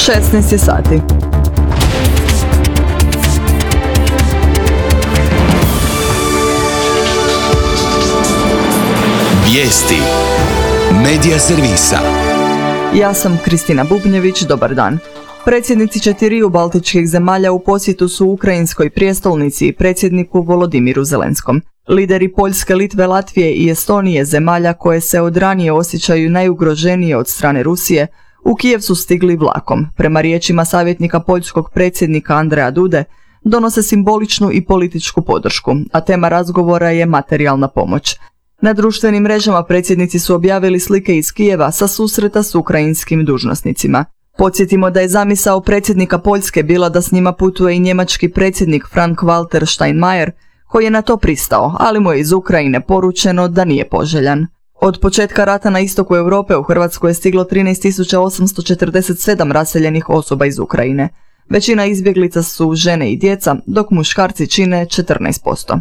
16 je sati. Vijesti Medija servisa. Ja sam Kristina Bubnjević, dobar dan. Predsjednici 4 baltičkih zemalja u posjetu su ukrajinskoj prijestolnici i predsjedniku Volodimiru Zelenskom. Lideri Poljske, Litve, Latvije i Estonije, zemalja koje se od ranije osjećaju najugroženije od strane Rusije, u Kijev su stigli vlakom. Prema riječima savjetnika poljskog predsjednika Andreja Dude, donose simboličnu i političku podršku, a tema razgovora je materijalna pomoć. Na društvenim mrežama predsjednici su objavili slike iz Kijeva sa susreta s ukrajinskim dužnosnicima. Podsjetimo da je zamisao predsjednika Poljske bila da s njima putuje i njemački predsjednik Frank-Walter Steinmeier, koji je na to pristao, ali mu je iz Ukrajine poručeno da nije poželjan. Od početka rata na istoku Europe u Hrvatsku je stiglo 13.847 raseljenih osoba iz Ukrajine. Većina izbjeglica su žene i djeca, dok muškarci čine 14%.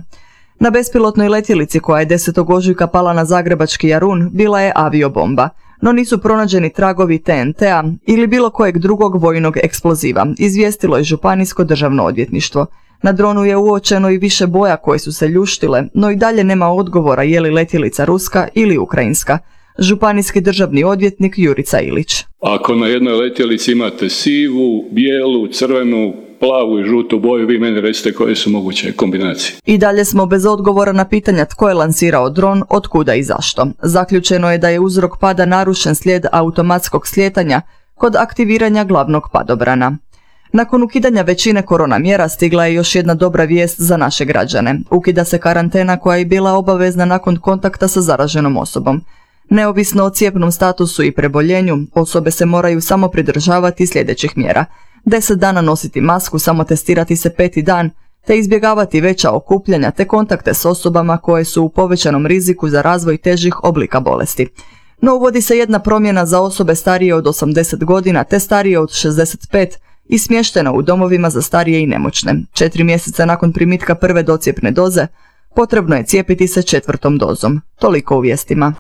Na bespilotnoj letjelici koja je 10. ožujka pala na zagrebački Jarun bila je aviobomba, no nisu pronađeni tragovi TNT-a ili bilo kojeg drugog vojnog eksploziva, izvijestilo je Županijsko državno odvjetništvo. Na dronu je uočeno i više boja koje su se ljuštile, no i dalje nema odgovora je li letjelica ruska ili ukrajinska. Županijski državni odvjetnik Jurica Ilić. Ako na jednoj letjelici imate sivu, bijelu, crvenu, plavu i žutu boju, vi meni recite koje su moguće kombinacije. I dalje smo bez odgovora na pitanja tko je lansirao dron, otkuda i zašto. Zaključeno je da je uzrok pada narušen slijed automatskog slijetanja kod aktiviranja glavnog padobrana. Nakon ukidanja većine korona mjera stigla je još jedna dobra vijest za naše građane. Ukida se karantena koja je bila obavezna nakon kontakta sa zaraženom osobom. Neovisno o cijepnom statusu i preboljenju, osobe se moraju samo pridržavati sljedećih mjera. 10 dana nositi masku, samo testirati se 5. dan, te izbjegavati veća okupljanja te kontakte s osobama koje su u povećanom riziku za razvoj težih oblika bolesti. No uvodi se jedna promjena za osobe starije od 80 godina te starije od 65 i smještene u domovima za starije i nemoćne. 4 mjeseca nakon primitka prve docjepne doze, potrebno je cijepiti se 4. dozom. Toliko u vijestima.